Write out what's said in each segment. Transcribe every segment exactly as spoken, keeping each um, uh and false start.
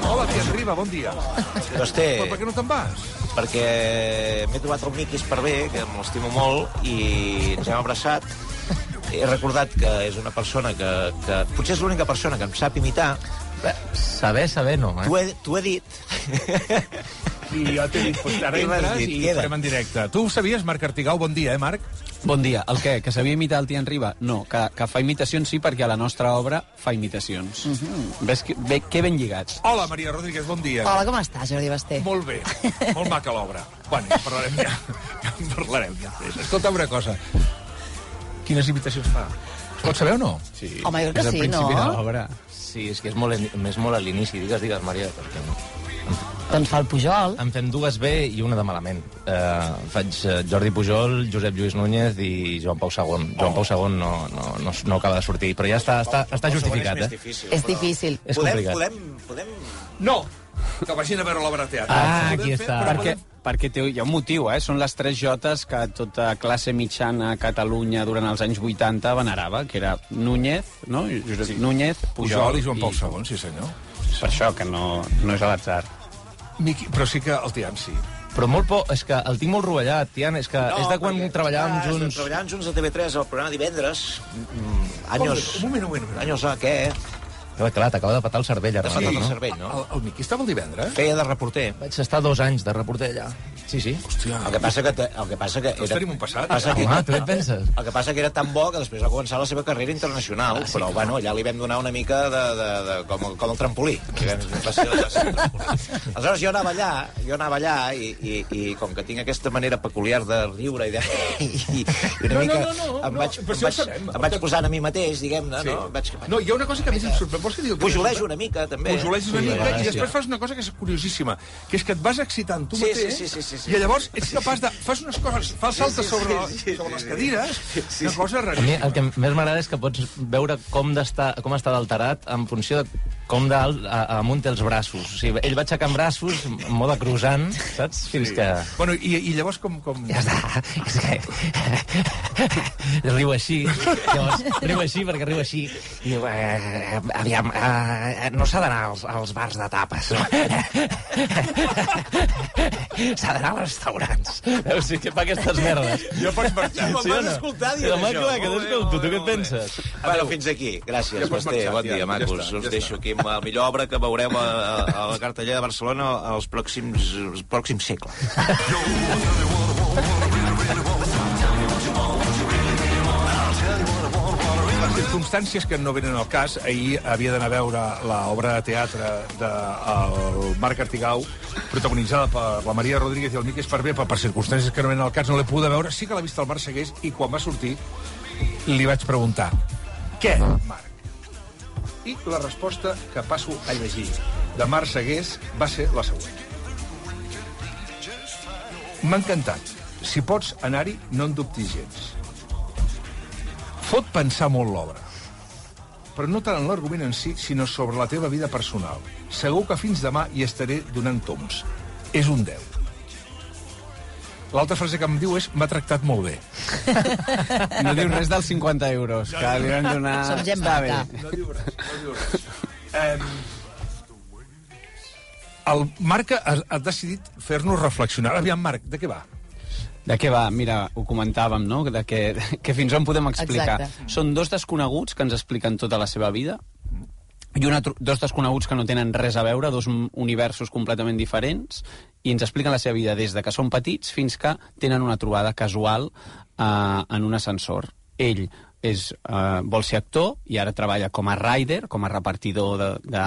Hola, Tian Riba, bon dia. Doncs té... Però per què no te'n vas? Perquè m'he trobat el Miqui Esparvé, que m'estimo molt, i ens hem abraçat. He recordat que és una persona que... que potser és l'única persona que em sap imitar. Bé, saber, saber no, eh? T'ho he, t'ho he dit. I jo t'he dit, pues, ara I m'has entres dit, i queda. farem en directe. Tu ho sabies, Marc Artigau? Bon dia, eh, Marc? Bon dia. El què? Que sabia imitar el Tian Riba? No, que, que fa imitacions sí, perquè a la nostra obra fa imitacions. Uh -huh. Ves que, bé, que ben lligats. Hola, Maria Rodríguez, bon dia. Hola, com estàs, Jordi Basté? Molt bé, molt maca l'obra. Bueno, ja parlarem ja. Ja en parlarem després. Escolta una cosa. Quines imitacions fa? Es pot saber o no? Sí. Home, jo crec que és el sí, principi no? de l'obra. Sí, és que és molt, és molt a l'inici. Digues, digues, Maria, perquè no. Doncs fa el Pujol. En fem dues bé i una de malament. Eh, faig eh, Jordi Pujol, Josep Lluís Núñez i Joan Pau segon. Joan Pau segon no, no, no, no acaba de sortir, però ja està, està, està justificat, És eh? difícil. És però- difícil. És podem, complicat. podem, podem... No! Que vagin a veure l'obra de teatre. Ah, Podem aquí fer, està. però Perquè, podem- perquè té, hi ha un motiu, eh? Són les tres jotes que tota classe mitjana a Catalunya durant els anys vuitanta venerava, que era Núñez, no? Josep sí. Núñez, Pujol, Pujol i Joan Pau segon, sí senyor. Per això, que no, no és a l'atzar. Miqui, però sí que el Tian sí. Però molt por, és que el tinc molt rovellat, Tian, és que és de quan perquè- treballàvem Ah, junts... Treballàvem junts a T V tres, al programa Divendres. Mm, Anyos... Un moment, un moment, un moment. Anyos a què? Però, clar, t'acaba de patar el cervell, ara T'ha mateix, patat el no? cervell, no? El, el Miqui estava el divendres? Feia de reporter. Vaig estar dos anys de reporter allà. Sí, sí. Hòstia. El que passa que... te- El que passa que Tots tenim un passat. Passa que, Home, tu què et penses? El que passa que era tan bo que després va començar la seva carrera internacional, ah, sí, però bueno, allà li vam donar una mica de, de, de, com, com el trampolí. Va ser, va ser el trampolí. Aleshores jo anava allà, jo anava allà i, i, i com que tinc aquesta manera peculiar de riure i, de, i, i una No, no, mica no, no, em no, vaig, però em si ho vaig, sabem. em vaig posant a mi mateix, diguem-ne, Sí. no? Vaig, No, hi ha una cosa que a mi em sorprèn. Vols que digui el que Pujolejo una mica, també. Pujoleges una Sí, mica gràcies. i després fas una cosa que és curiosíssima, que és que et vas excitant tu Sí, mateix sí, sí, sí, sí, i llavors ets capaç de... Fas unes coses, fas saltes sí, sí, sobre, sí, sí, sobre les sí. cadires, una cosa A mi raríssima. el que més m'agrada és que pots veure com, com està d'alterat en funció de com d'alt a- amunt té els braços. O sigui, ell va aixecant braços en mode croissant, saps? Fins que... Bueno, i, i llavors com... com... Ja està. És que... riu així. Llavors, riu així perquè riu així. I diu, eh, aviam, eh, no s'ha d'anar als, als bars de tapes. No? S'ha d'anar als restaurants. Veus, sí que fa aquestes merdes. Ja pots marxar. Me'n vas escoltar dient Home, això. clar, que Molt bé, t'escolto. molt Tu bé, què et molt bé. penses? Bueno, fins aquí. Gràcies, Ja pots Basté. marxar, Bon ja, dia, ja macos. està, ja Us està. deixo aquí amb la millor obra que veureu a, a, a la cartellera de Barcelona als pròxims, als pròxims segles. Les circumstàncies que no venen al cas, ahir havia d'anar a veure l'obra de teatre del Marc Artigau, protagonitzada per la Maria Rodríguez i el Miqui Esparvé, però per circumstàncies que no venen al cas no l'he pogut veure. Sí que l'ha vist el Marc Segués i quan va sortir li vaig preguntar què, Marc? I la resposta que passo a llegir de Marc Segués va ser la següent. M'ha encantat. Si pots anar-hi, no en dubtis gens. Fot pensar molt l'obra, però no tant en l'argument en si, sinó sobre la teva vida personal. Segur que fins demà hi estaré donant toms. És un deu. L'altra frase que em diu és m'ha tractat molt bé. No diu res dels cinquanta euros, que li van donar... Som gent Està bé. maca. No diu res, no diu res. Um, el Marc ha, ha decidit fer-nos reflexionar. Aviam, Marc, de què va? De què va? Mira, ho comentàvem, no? De que, que fins on podem explicar. Exacte. Són dos desconeguts que ens expliquen tota la seva vida i una, tro- dos desconeguts que no tenen res a veure, dos m- universos completament diferents, i ens expliquen la seva vida des de que són petits fins que tenen una trobada casual eh, en un ascensor. Ell és, eh, vol ser actor i ara treballa com a rider, com a repartidor de, de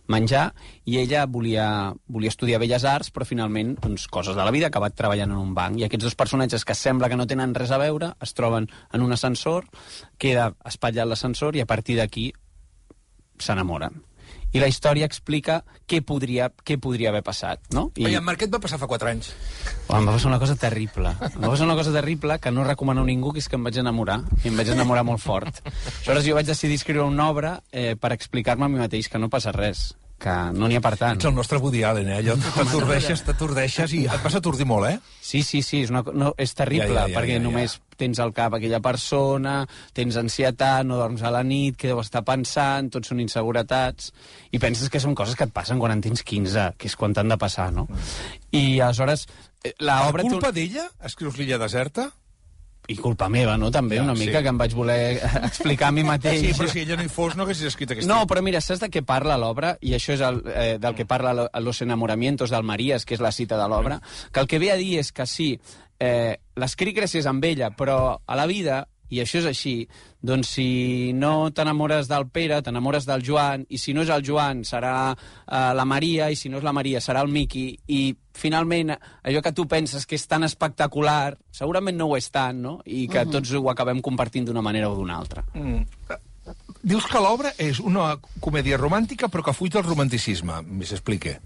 menjar, i ella volia, volia estudiar Belles Arts, però finalment, doncs, coses de la vida, ha acabat treballant en un banc. I aquests dos personatges que sembla que no tenen res a veure es troben en un ascensor, queda espatllat l'ascensor i a partir d'aquí s'enamoren. I la història explica què podria, què podria haver passat, no? I... Oye, Marc, què et va passar fa quatre anys? Oh, em va passar una cosa terrible. Em va passar una cosa terrible que no recomano a ningú, que és que em vaig enamorar. I em vaig enamorar molt fort. Aleshores jo vaig decidir escriure una obra eh, per explicar-me a mi mateix que no passa res. que no n'hi ha per tant. Ets el nostre Woody Allen, eh? Allò t'atordeixes, t'atordeixes i et vas atordir molt, eh? Sí, sí, sí, és, una, no, és terrible, Ja, ja, ja, perquè ja, ja. només tens al cap aquella persona, tens ansietat, no dorms a la nit, què deu estar pensant, tots són inseguretats, i penses que són coses que et passen quan en tens quinze, que és quan t'han de passar, no? I aleshores, la obra... Per culpa d'ella escrius l'illa deserta? I culpa meva, no?, també, Ja, una mica, sí. que em vaig voler explicar a mi mateix. Sí, però si ella no hi fos, no haguessis escrit aquest No, llibre. però mira, saps de què parla l'obra? I això és el, eh, del que parla lo- Los enamoramientos del Marías, que és la cita de l'obra, que el que ve a dir és que sí, eh, l'escric gràcies a ella, però a la vida, i això és així, doncs si no t'enamores del Pere, t'enamores del Joan, i si no és el Joan serà eh, la Maria, i si no és la Maria serà el Miqui, i finalment allò que tu penses que és tan espectacular, segurament no ho és tant, no? I que tots ho acabem compartint d'una manera o d'una altra. Mm. Dius que l'obra és una comèdia romàntica però que fuig del romanticisme. Més explique.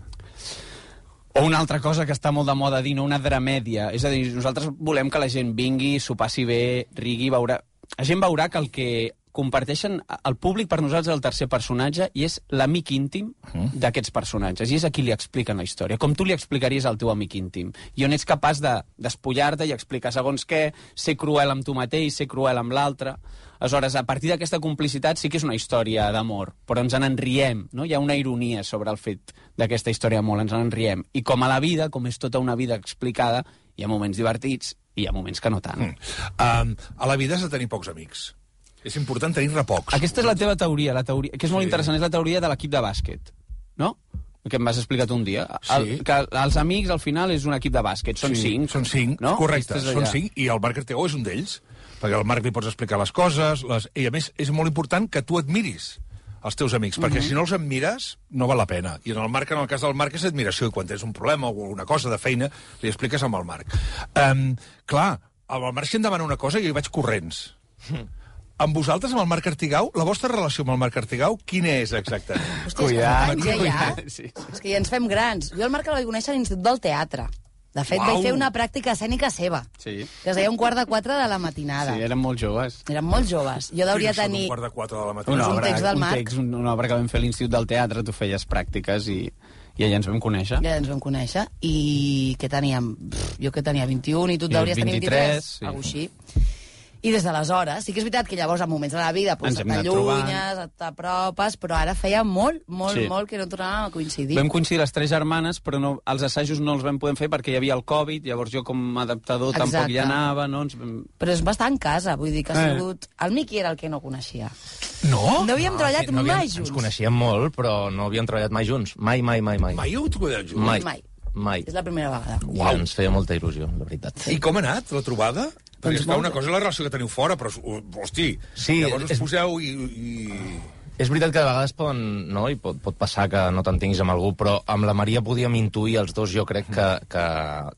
O una altra cosa que està molt de moda dir, no? Una dramèdia. És a dir, nosaltres volem que la gent vingui, s'ho passi bé, rigui, veurà... La gent veurà que el que comparteixen el públic per nosaltres és el tercer personatge i és l'amic íntim d'aquests personatges. I és a qui li expliquen la història, com tu li explicaries al teu amic íntim. I on ets capaç de despullar-te i explicar segons què, ser cruel amb tu mateix, ser cruel amb l'altre. Aleshores, a partir d'aquesta complicitat sí que és una història d'amor, però ens en riem, no? Hi ha una ironia sobre el fet d'aquesta història d'amor, ens en riem. I com a la vida, com és tota una vida explicada, hi ha moments divertits i hi ha moments que no tant. Mm. Um, a la vida has de tenir pocs amics. És important tenir-ne pocs. Aquesta és la teva teoria, la teoria, que és molt Sí. interessant, és la teoria de l'equip de bàsquet, no? Que em vas explicar tu un dia. El, Sí. que els amics, al final, és un equip de bàsquet. Són Sí, cinc. Són cinc, no? correcte, Aquesta és són allà. cinc, i el Marc Artegó és un d'ells, perquè al Marc li pots explicar les coses, les... i a més és molt important que tu admiris els teus amics, perquè si no els admires, no val la pena. I en el Marc, en el cas del Marc, és admiració, i quan tens un problema o alguna cosa de feina, li expliques amb el Marc. Um, clar, amb el Marc si em demana una cosa, jo hi vaig corrents. Amb vosaltres, amb el Marc Artigau, la vostra relació amb el Marc Artigau, quina és exactament? Hòstia, és que Cuidat, fa anys, eh, ja. cuidat, sí. És que ja ens fem grans. Jo el Marc el vaig conèixer a l'Institut del Teatre. De fet, Uau. vaig fer una pràctica escènica seva, Sí. que es deia un quart de quatre de la matinada. Sí, eren molt joves. Eren molt joves. Jo deuria Quin és el tenir... Un quart de quatre de la matina. Una Una un obra, text del un Marc. text, un- una obra que vam fer a l'Institut del Teatre, tu feies pràctiques i, i allà ens vam conèixer. Ja ens vam conèixer. I què teníem? Pff, jo que tenia vint-i-un i tu et I deuries tenir vint-i-tres, vint-i-tres. sí. Algo així. I des d'aleshores, sí que és veritat que llavors, en moments de la vida, pues, Ens hem anat t'allunyes, t'apropes, però ara feia molt, molt, Sí. molt que no tornàvem a coincidir. Vam coincidir les tres germanes, però no, els assajos no els vam poder fer perquè hi havia el Covid, llavors jo com a adaptador Exacte. tampoc hi anava, no? Ens vam... Però es va estar en casa, vull dir que ha Eh. sigut... El Miqui era el que no coneixia. No? No havíem treballat sí, no havíem, mai junts. Ens coneixíem molt, però no havíem treballat mai junts. Mai, mai, mai, mai. Mai heu trobat junts? Mai. Mai. Mai. És la primera vegada. I ens feia molta il·lusió, la veritat. I com ha anat, la trobada? Perquè, Doncs esclar, molt una bé. cosa és la relació que teniu fora, però, hosti, Sí, llavors us és- poseu i... i... És veritat que de vegades poden, no? I pot, pot passar que no t'entenguis amb algú, però amb la Maria podíem intuir els dos, jo crec que... que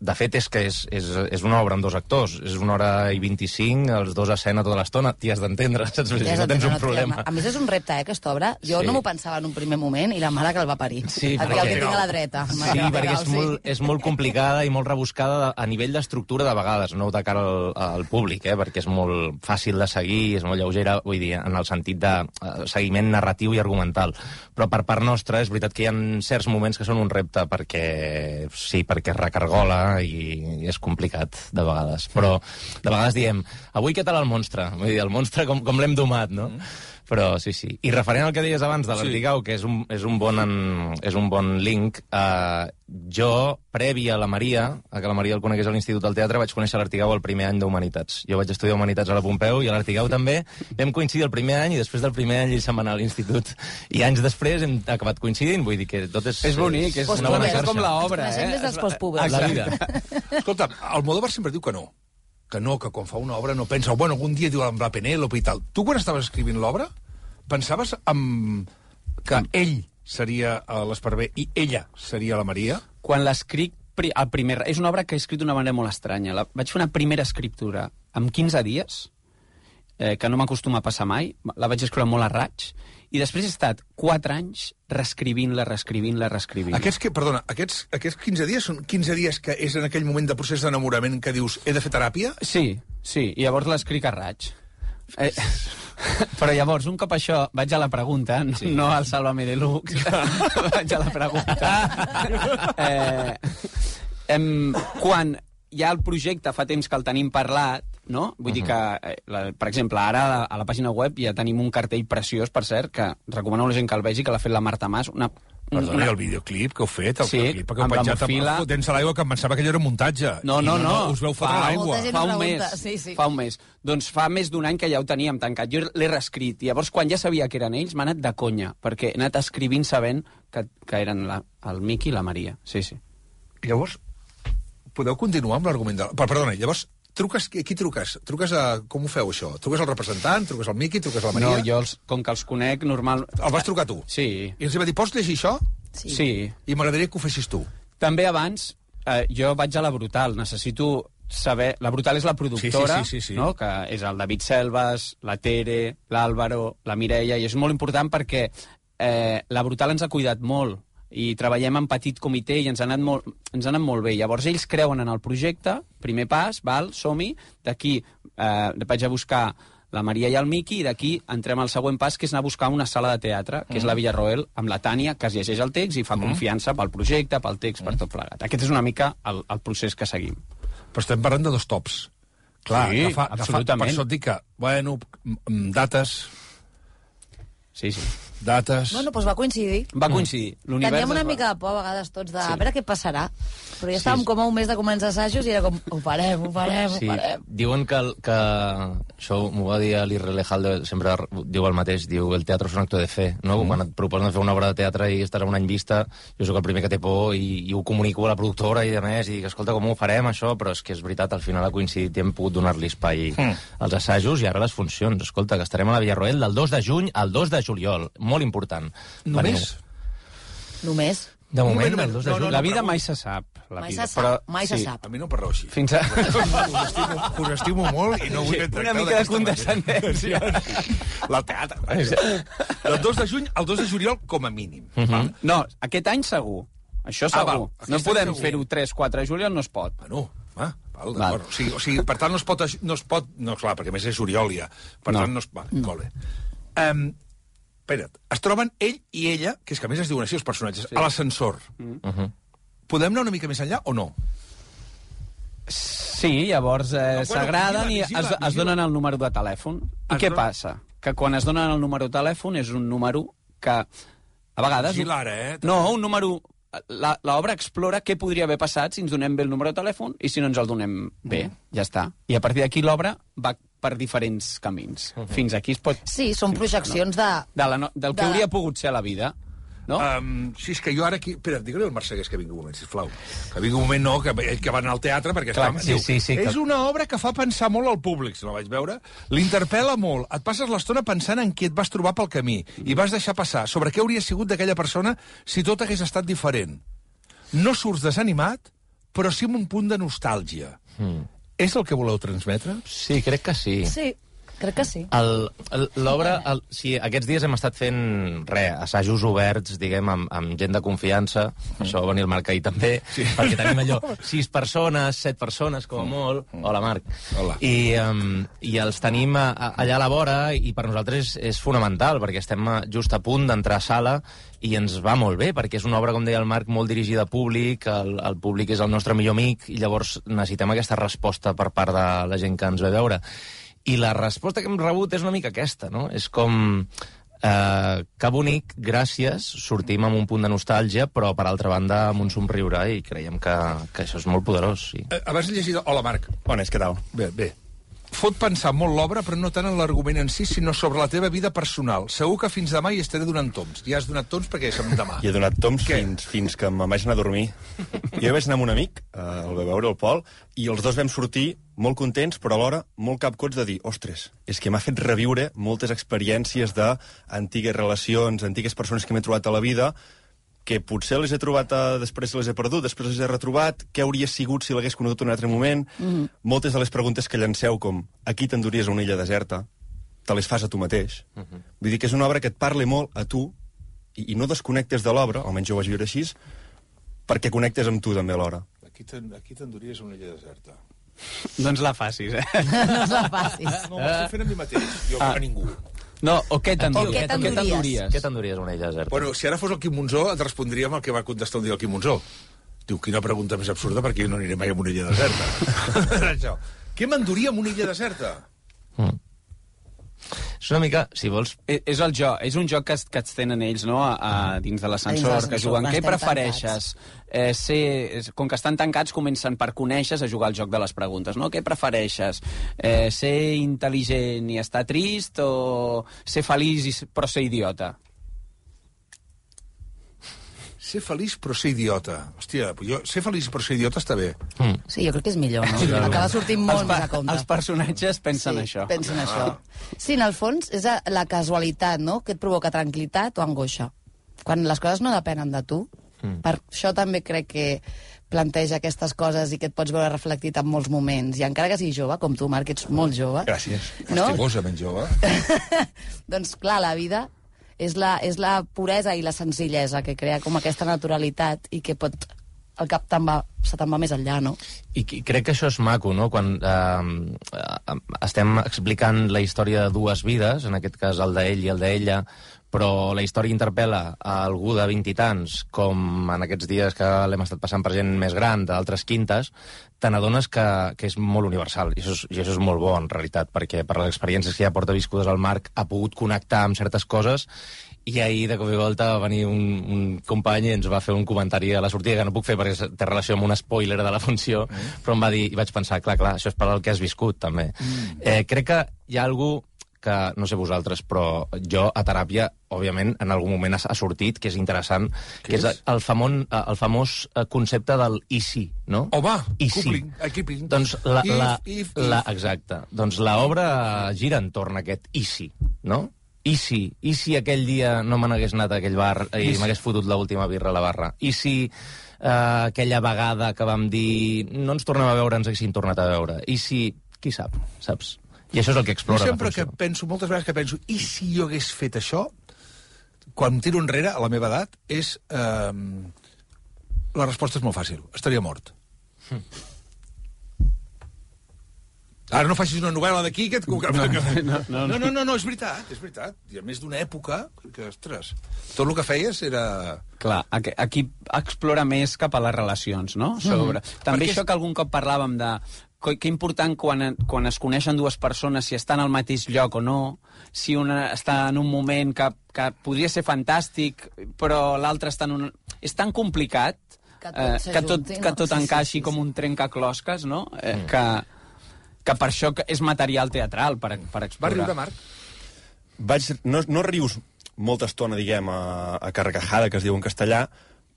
de fet, és que és, és, és una obra amb dos actors. És una hora i vint-i-cinc, els dos a escena tota l'estona. T'hi has d'entendre, saps? Si Ja no tens un no problema. triem. A més, és un repte, eh, aquesta obra. Jo Sí. no m'ho pensava en un primer moment, i la mare que el va parir. Sí, Aquí, perquè- el que tinc a la dreta. Sí, perquè és molt, és molt complicada i molt rebuscada de- a nivell d'estructura de vegades, no de cara al, al públic, eh, perquè és molt fàcil de seguir, és molt lleugera, vull dir, en el sentit de eh, seguiment narratiu i argumental. Però per part nostra és veritat que hi ha certs moments que són un repte perquè, sí, perquè recargola i, i és complicat de vegades. Però de vegades diem, avui què tal el monstre? Vull dir, el monstre com, com l'hem domat, no? Mm. Però sí, sí. I referent al que deies abans de l'Artigau, que és un, és un, bon, en, és un bon link, eh, jo, previ a la Maria, a que la Maria el conegués a l'Institut del Teatre, vaig conèixer l'Artigau el primer any d'Humanitats. Jo vaig estudiar Humanitats a la Pompeu i a l'Artigau també. Vam coincidir el primer any i després del primer any ell se'n va anar a l'Institut. I anys després hem acabat coincidint, vull dir que tot és... És bonic, és Postpuber. una bona És xarxa. com l'obra, Ens coneixem eh? des dels postpubers. La vida. Escolta, Almodóvar sempre diu que no. Que no, que quan fa una obra no pensa, bueno, algun dia diu amb la Penèlope i tal. Tu, quan estaves escrivint l'obra, pensaves en... que ell seria a l'Esparver i ella seria la Maria? Quan l'escric, pri- el primer, és una obra que he escrit d'una manera molt estranya. La, vaig fer una primera escriptura amb quinze dies, eh, que no m'acostuma a passar mai, la vaig escriure molt a raig, i després he estat quatre anys reescrivint-la, reescrivint-la, reescrivint-la. Aquests que, perdona, aquests, aquests quinze dies són quinze dies que és en aquell moment de procés d'enamorament que dius he de fer teràpia? Sí, sí, i llavors l'escric a raig. Eh, Però llavors, un cop això, vaig a la pregunta, no, sí. no al Sálvame Deluxe, vaig a la pregunta. Eh, em, quan hi ha el projecte, fa temps que el tenim parlat, no? Vull uh -huh. dir que, eh, la, per exemple, ara a la, a la pàgina web ja tenim un cartell preciós, per cert, que recomano a la gent que el vegi, que l'ha fet la Marta Mas, una... Perdona, el videoclip que heu fet, el sí, clip que heu penjat fotent-se a l'aigua, que em pensava que allò era muntatge. No, no, no. no. Us veu fotre fa, l'aigua. Fa un mes. Sí, sí. Fa un mes. Doncs fa més d'un any que ja ho teníem tancat. Jo l'he reescrit. I llavors, quan ja sabia que eren ells, m'ha anat de conya, perquè he anat escrivint sabent que, que eren la, el Miqui i la Maria. Sí, sí. Llavors, podeu continuar amb l'argument de... Perdona, llavors, truques, qui truques? Truques a... Com ho feu, això? Truques al representant, truques al Miqui, truques a la Maria? No, jo, els, com que els conec, normal... El vas trucar tu? Sí. I els va dir, pots llegir això? Sí. sí. I m'agradaria que ho fessis tu. També abans, eh, jo vaig a la Brutal, necessito saber... La Brutal és la productora, sí, sí, sí, sí. No? Que és el David Selves, la Tere, l'Àlvaro, la Mireia, i és molt important perquè eh, la Brutal ens ha cuidat molt i treballem en petit comitè i ens ha anat molt, ens ha anat molt bé. Llavors ells creuen en el projecte, primer pas, val, som-hi, d'aquí eh, vaig a buscar la Maria i el Miqui, i d'aquí entrem al següent pas, que és anar a buscar una sala de teatre, que mm. és la Villarroel, amb la Tània, que es llegeix el text i fa mm. confiança pel projecte, pel text, mm. per tot plegat. Aquest és una mica el, el procés que seguim. Però estem parlant de dos tops. Clar, sí, agafa, absolutament. Agafa, per això et dic que, bueno, dates... Sí, sí. Dates... Bueno, doncs va coincidir. Va coincidir. Teníem una mica de por a vegades tots de... Sí. A veure què passarà. Però ja estàvem sí. com a un mes de començar assajos i era com, ho farem, ho farem, sí. ho farem. Diuen que, que això m'ho va dir l'Irre Lejalde, sempre diu el mateix, diu el teatre és un acte de fe, no? Mm. Quan et proposen de fer una obra de teatre i estarà un any vista, jo sóc el primer que té por i, i ho comunico a la productora i a més, i dic, escolta, com ho farem, això? Però és que és veritat, al final ha coincidit i hem pogut donar-li espai mm. als assajos i ara les funcions. Escolta, que estarem a la Villarroel del dos de juny al dos de juliol. Molt important. Només? Veniu. Només? De moment, el dos de no, juny. No, no, la vida mai se sap. La mai vida. se sap, però, mai sí. se sap. A mi no parleu així. Fins a... us, estimo, us estimo molt i no vull tractar una mica de condescendència. La teatre. Del dos de juny al dos de juliol, com a mínim. Uh -huh. No, aquest any segur. Això segur. Ah, no podem fer-ho tres quatre de juliol, no es pot. Bueno, va, val, d'acord. O, sigui, o sigui, per tant, no es pot... No, es pot, no clar, perquè a més és juliol ja. Per no. tant, no es... Va, molt bé. Um, espera't, es troben ell i ella, que és que a més es diuen així els personatges, sí. a l'ascensor. Mm. Uh -huh. Podem anar una mica més enllà o no? Sí, llavors eh, no, s'agraden bueno, i es, es donen el número de telèfon. I es què don... passa? Que quan es donen el número de telèfon és un número que a vegades... Vigila ara, eh? No, un número... L'obra explora què podria haver passat si ens donem bé el número de telèfon i si no ens el donem bé. Mm. Ja està. I a partir d'aquí l'obra va per diferents camins. Uh -huh. Fins aquí es pot... Sí, són projeccions no? de... de la no... del que de... hauria pogut ser la vida. No? Um, sí, és que jo ara aquí... Espera, digue-li al Marcegués que vingui un moment, sisplau. Que vingui un moment, no, que, que va anar al teatre, perquè clar, està... Sí, diu, sí, sí, és que... una obra que fa pensar molt al públic, si no la vaig veure. L'interpel·la molt. Et passes l'estona pensant en qui et vas trobar pel camí i vas deixar passar sobre què hauria sigut d'aquella persona si tot hagués estat diferent. No surts desanimat, però sí amb un punt de nostàlgia. Mm. És el que voleu transmetre? Sí, crec que sí. Sí. Crec que sí. L'obra... Sí, aquests dies hem estat fent, res, assajos oberts, diguem, amb, amb gent de confiança. Mm. Això va venir el Marc ahir també, sí. perquè tenim allò, sis persones, set persones, com a molt. Mm. Hola, Marc. Hola. I, um, i els tenim a, a, allà a la vora, i per nosaltres és, és fonamental, perquè estem just a punt d'entrar a sala i ens va molt bé, perquè és una obra, com deia el Marc, molt dirigida a públic, el, el públic és el nostre millor amic, i llavors necessitem aquesta resposta per part de la gent que ens ve a veure. I la resposta que hem rebut és una mica aquesta, no? És com... Eh, que bonic, gràcies, sortim amb un punt de nostàlgia, però, per altra banda, amb un somriure, i creiem que, que això és molt poderós, sí. Eh, abans he llegit... Hola, Marc. Bones, què tal? Bé, bé. Fot pensar molt l'obra, però no tant en l'argument en si, sinó sobre la teva vida personal. Segur que fins demà hi estaré donant toms. Ja has donat toms perquè som demà. I he donat toms fins, fins que me'n vaig anar a dormir. Jo vaig anar amb un amic, eh, el va veure, el Pol, i els dos vam sortir molt contents, però alhora molt capcots de dir, ostres, és que m'ha fet reviure moltes experiències d'antigues relacions, antigues persones que m'he trobat a la vida, que potser les he trobat, a, després les he perdut, després les he retrobat, què hauria sigut si l'hagués conegut en un altre moment. Mm. Moltes de les preguntes que llanceu, com aquí t'enduries a una illa deserta, te les fas a tu mateix. Mm -hmm. Vull dir que és una obra que et parli molt a tu, i, i no desconnectes de l'obra, almenys jo ho vaig viure així, perquè connectes amb tu també alhora. Aquí t'enduries a una illa deserta. Doncs la facis, eh? No la facis. No, m'estic fent a mi mateix, jo ah. a ningú. No, o què t'enduries? O què t'enduries? Què t'enduries una illa deserta? Bueno, si ara fos el Quim Monzó, et respondria amb el que va contestar un dia el Quim Monzó. Diu, quina pregunta més absurda, perquè jo no aniré mai a una illa deserta. Això. Què m'enduria amb una illa deserta? Mm. És una mica, si vols... És, és el joc, és un joc que, es, que es tenen ells, no?, a, a, dins de l'ascensor, que juguen. Què prefereixes? Eh, ser, com que estan tancats, comencen per conèixer a jugar al joc de les preguntes, no? Què prefereixes? Eh, ser intel·ligent i estar trist o ser feliç i, però ser idiota? Ser feliç però ser idiota. Hòstia, jo, ser feliç però ser idiota està bé. Mm. Sí, jo crec que és millor, no? Acaba sortint molt més a compte. Els personatges pensen sí, això. pensen això. Sí, en el fons és la casualitat, no?, que et provoca tranquil·litat o angoixa. Quan les coses no depenen de tu, mm. per això també crec que planteja aquestes coses i que et pots veure reflectit en molts moments. I encara que siguis jove, com tu, Marc, que ets molt jove... Gràcies. No? Estimosament jove. Doncs clar, la vida és la, és la puresa i la senzillesa que crea com aquesta naturalitat i que pot... el cap te'n va, se te'n va més enllà, no? I, I crec que això és maco, no?, quan eh, eh, estem explicant la història de dues vides, en aquest cas el d'ell i el d'ella, però la història interpel·la a algú de vint i tants, com en aquests dies que l'hem estat passant per gent més gran, d'altres quintes, te n'adones que, que és molt universal, i això és, i això és molt bo, en realitat, perquè per les experiències que ja porta viscudes al Marc ha pogut connectar amb certes coses, i ahir, de cop i volta, va venir un, un company i ens va fer un comentari a la sortida, que no puc fer perquè té relació amb un spoiler de la funció, mm. però em va dir, i vaig pensar, clar, clar, això és per al que has viscut, també. Mm. Eh, crec que hi ha algú que, no sé vosaltres, però jo a teràpia, òbviament, en algun moment ha, ha sortit, que és interessant, que és, és el, famon, el famós concepte del i si, no? Oh, va, I si. coupling, equipping. Doncs la, if, la, if, la, if. exacte. Doncs l'obra gira entorn a aquest i si, no? I si, i si aquell dia no me n'hagués anat a aquell bar i m'hagués fotut l'última birra a la barra? I si eh, aquella vegada que vam dir no ens tornem a veure, ens haguessin tornat a veure? I si, qui sap, saps? I això és el que explora jo sempre la funció. que penso, moltes vegades que penso, i si jo hagués fet això, quan em tiro enrere, a la meva edat, és... Eh, la resposta és molt fàcil. Estaria mort. Hm. Ara no facis una novel·la d'aquí que et... No, no, no, no, no, no, és veritat, és veritat. I a més d'una època que, ostres, tot el que feies era... Clar, aquí, aquí explora més cap a les relacions, no? Sobre... Mm. També Perquè això que algun cop parlàvem de... Que important quan, quan es coneixen dues persones, si estan al mateix lloc o no, si una està en un moment que, que podria ser fantàstic, però l'altre està en un... És tan complicat que tot, eh, que tot, no? que tot sí, encaixi sí, sí, com sí. un trencaclosques, no? Eh, Mm. que, que per això és material teatral, per, per explorar. Va riure, Marc? Vaig, no, no rius molta estona, diguem, a, a carcajada, que es diu en castellà,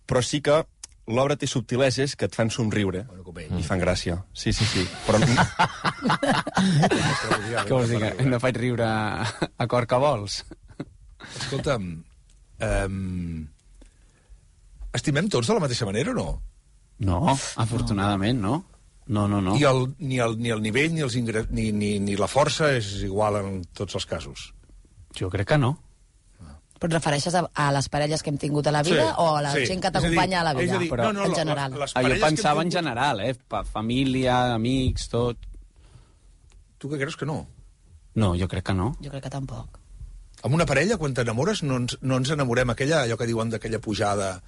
però sí que l'obra té subtileses que et fan somriure i fan gràcia. Sí, sí, sí. Però... Què vols dir? Que no faig riure a cor que vols? Escolta'm, um, estimem tots de la mateixa manera o no? No, afortunadament, no. No, no, no. I el, ni, el, ni el nivell ni, els ingre... ni, ni, ni la força és igual en tots els casos. Jo crec que no. Però et refereixes a, a les parelles que hem tingut a la vida Sí, o a la sí. gent que És a dir- t'acompanya a la és vida? a dir, Però, no, no, en la- general. la- les Ah, jo parelles que hem pensava en tingut- general, eh? Pa família, amics, tot. Tu què creus que no? No, jo crec que no. Jo crec que tampoc. Amb una parella, quan t'enamores, no ens, no ens enamorem aquella, allò que diuen d'aquella pujada...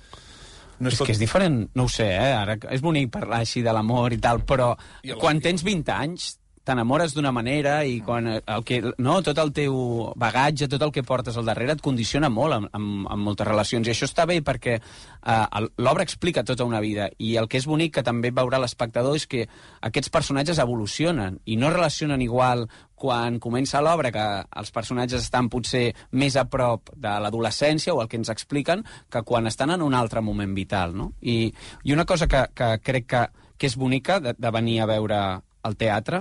No És tot... que és diferent, no ho sé, eh? Ara és bonic parlar així de l'amor i tal, però I a la- quan tens vint anys t'enamores d'una manera i quan el que, no, tot el teu bagatge, tot el que portes al darrere et condiciona molt en, en, en moltes relacions. I això està bé perquè eh, l'obra explica tota una vida i el que és bonic que també veurà l'espectador és que aquests personatges evolucionen i no es relacionen igual quan comença l'obra, que els personatges estan potser més a prop de l'adolescència o el que ens expliquen, que quan estan en un altre moment vital, no? I, i una cosa que, que crec que, que és bonica de, de venir a veure al teatre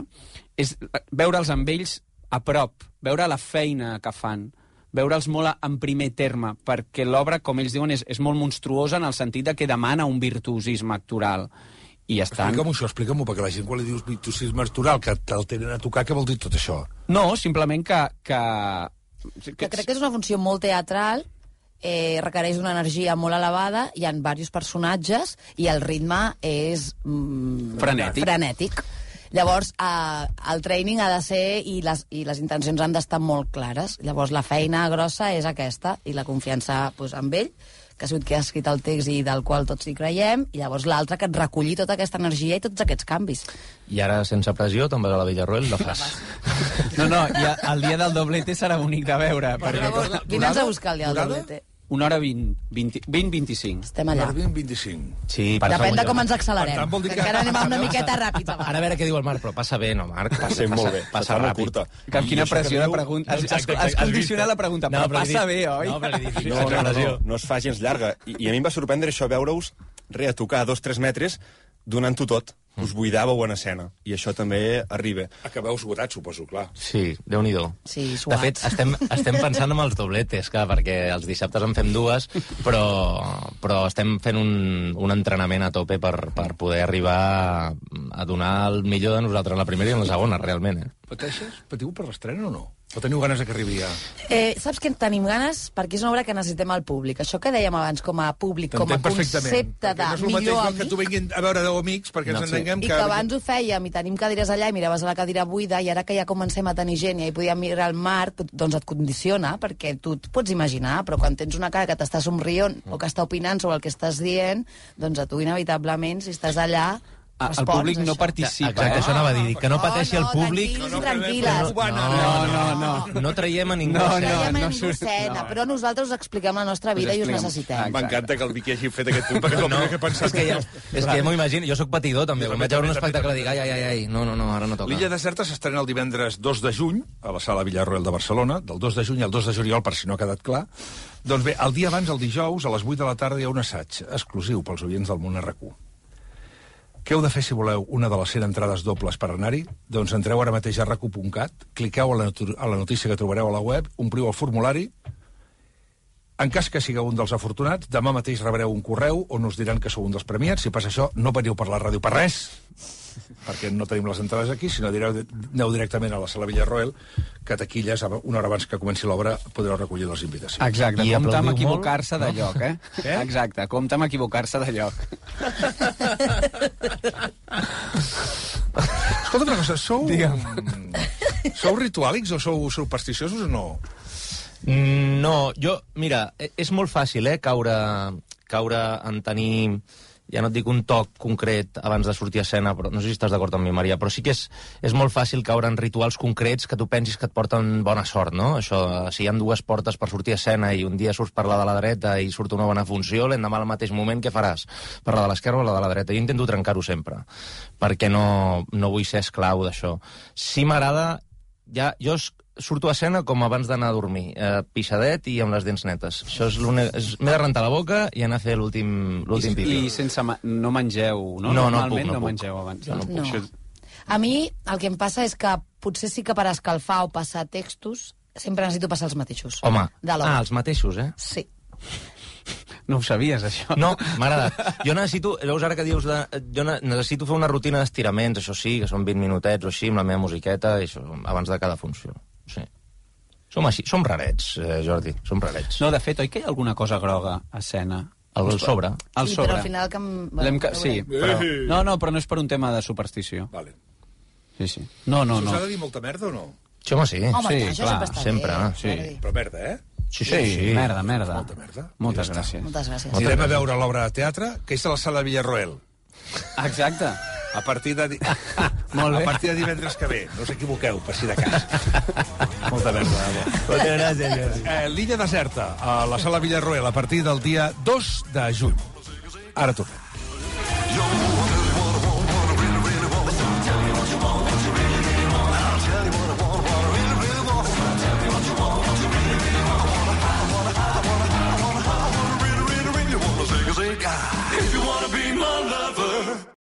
és veure'ls amb ells a prop, veure la feina que fan, veure'ls molt en primer terme, perquè l'obra, com ells diuen, és, és molt monstruosa en el sentit de que demana un virtuosisme actoral. I estan... Explica'm això, explica'm-ho, perquè la gent quan li dius virtuosisme actoral, que te'l tenen a tocar, què vol dir tot això? No, simplement que... que... Que crec que és una funció molt teatral, eh, requereix una energia molt elevada, hi ha diversos personatges i el ritme és mm, Frenètic. frenètic. Llavors, eh, el training ha de ser i les, i les intencions han d'estar molt clares. Llavors, la feina grossa és aquesta i la confiança pues, amb ell, que ha sigut qui ha escrit el text i del qual tots hi creiem, i llavors l'altre que et recolli tota aquesta energia i tots aquests canvis. I ara, sense pressió, te'n vas a la Villarroel, la fas. No, no, ja, el dia del doblete serà bonic de veure. Perquè... Vine'ns a buscar el dia del doblete. Una hora vint, vint, vint vint-i-cinc. Estem allà. vint vint-i-cinc. Sí, Depèn de com ens accelerem. Per tant, vol dir que que- encara anem una miqueta ràpids. Ara a veure què diu el Marc, però passa bé, no, Marc? Passem molt bé. Passa Passa molt ràpid. curta. Que amb I quina això que pressió de diu- pregunta. Has, has, Exacte, has exacte. condicionat la pregunta, però No, però li passa dic- bé, oi? No, però li dic, No, no, no, exageració. no, no es fa gens llarga. I, I a mi em va sorprendre això, veure-us re a tocar a dos o tres metres donant-ho tot. Us buidàveu en escena. I això també arriba. Acabeu esgotats, suposo, clar. Sí, Déu-n'hi-do. Sí, De suats. fet, estem, estem pensant en els dobletes, clar, perquè els dissabtes en fem dues, però, però estem fent un, un entrenament a tope per, per poder arribar a, a donar el millor de nosaltres en la primera i en la segona, realment. Eh? Pateixes? Patiu per l'estrena o no? O teniu ganes de que arribi ja? Eh, saps que en tenim ganes? Perquè és una obra que necessitem al públic. Això que dèiem abans com a públic, com a T'entenc perfectament. concepte de Perquè no és el mateix millor no, que amic, tu vinguin a veure deu amics perquè No, ens sí. entenguem i que... que abans ho fèiem i tenim cadires allà i miraves a la cadira buida i ara que ja comencem a tenir gent i ja hi podíem mirar el mar, doncs et condiciona perquè tu et pots imaginar, però quan tens una cara que t'està somrient o que està opinant sobre el que estàs dient, doncs a tu inevitablement, si estàs allà, Ah, el respons, públic no això. participa, Exacte, eh? això anava a dir, que no pateixi el públic. tranquils No, i no, tranquil·les. no, no, No, no, no. No traiem a ningú. No, a no, escena. Traiem no a ningú surt- escena, no. però nosaltres us expliquem la nostra vida i us expliquem. necessitem. Exacte. M'encanta que el Vicky hagi fet aquest punt, perquè és el primer que he pensat. És que ja, és que ja m'ho imagino. Jo sóc patidor, també. Quan vaig veure un també, espectacle també, dic, ai, ai, ai, ai, no, no, no, ara no toca. L'Illa Deserta s'estrena el divendres dos de juny a la Sala Villarroel de Barcelona, del dos de juny al dos de juliol, per si no ha quedat clar. Doncs bé, el dia abans, el dijous, a les vuit de la tarda, hi ha un assaig exclusiu pels oients del Món R Q. Què heu de fer si voleu una de les cent entrades dobles per anar-hi? Doncs entreu ara mateix a racu punt cat, cliqueu a la, a la notícia que trobareu a la web, ompliu el formulari. En cas que sigueu un dels afortunats, demà mateix rebreu un correu on us diran que sou un dels premiats. Si passa això, no veniu per la ràdio per res, perquè no tenim les entrades aquí, sinó direu, aneu directament a la Sala Villarroel, que taquilles, una hora abans que comenci l'obra, podreu recollir les invitacions. Exacte, I compte amb aplaudiu equivocar-se de molt, lloc, eh? Què? Exacte, compte amb equivocar-se de lloc. Escolta una cosa, sou... Sou rituàlics o sou supersticiosos o no? Mm, No, jo, mira, e- és molt fàcil, eh, caure, caure en tenir, ja no et dic un toc concret abans de sortir a escena, però no sé si estàs d'acord amb mi, Maria, però sí que és, és molt fàcil caure en rituals concrets que tu pensis que et porten bona sort, no? Això, si hi ha dues portes per sortir a escena i un dia surts per la de la dreta i surt una bona funció, l'endemà al mateix moment què faràs? Per la de l'esquerra o la de la dreta? Jo intento trencar-ho sempre, perquè no, no vull ser esclau d'això. Sí m'agrada, ja, jo es- surto a escena com abans d'anar a dormir, eh, pixadet i amb les dents netes. Això és l'únic... és- M'he de rentar la boca i anar a fer l'últim l'últim I, pipi. I sense... Ma no mengeu, no? No, no Normalment puc, no no puc. mengeu abans. Jo no No. Això... A mi el que em passa és que potser sí que per escalfar o passar textos sempre necessito passar els mateixos. Home, De l'obra. ah, els mateixos, eh? Sí. No ho sabies, això? No, m'ha agradat. Jo necessito, veus ara que dius, de, jo ne- necessito fer una rutina d'estiraments, això sí, que són vint minutets o així, amb la meva musiqueta, i això, abans de cada funció. Sí. Som així, som rarets, eh, Jordi, som rarets. No, de fet, oi que hi ha alguna cosa groga a escena? El, el sobre. Al Sí, sobre. però al final que... em- L'hem ca... ho Sí, veurem. però... No, no, però no és per un tema de superstició. Vale. Sí, sí. No, no, Us no. ha de dir molta merda o no? Sí, home, sí. Home, Sí, això clar, sempre està sempre, bé. sí. Jordi. Però merda, eh? Sí, Sí, sí, merda, merda. Molta merda. Moltes Ja està. gràcies. Moltes gràcies. Anirem a veure l'obra de teatre, que és a la Sala Villarroel. Exacte. A partir de... Di... Molt bé. A partir de divendres que ve. No us equivoqueu, per si de cas. Molta merda. Moltes gràcies, Jordi. Eh, L'Illa Deserta, a la Sala Villarroel, a partir del dia dos de juny. Ara tornem.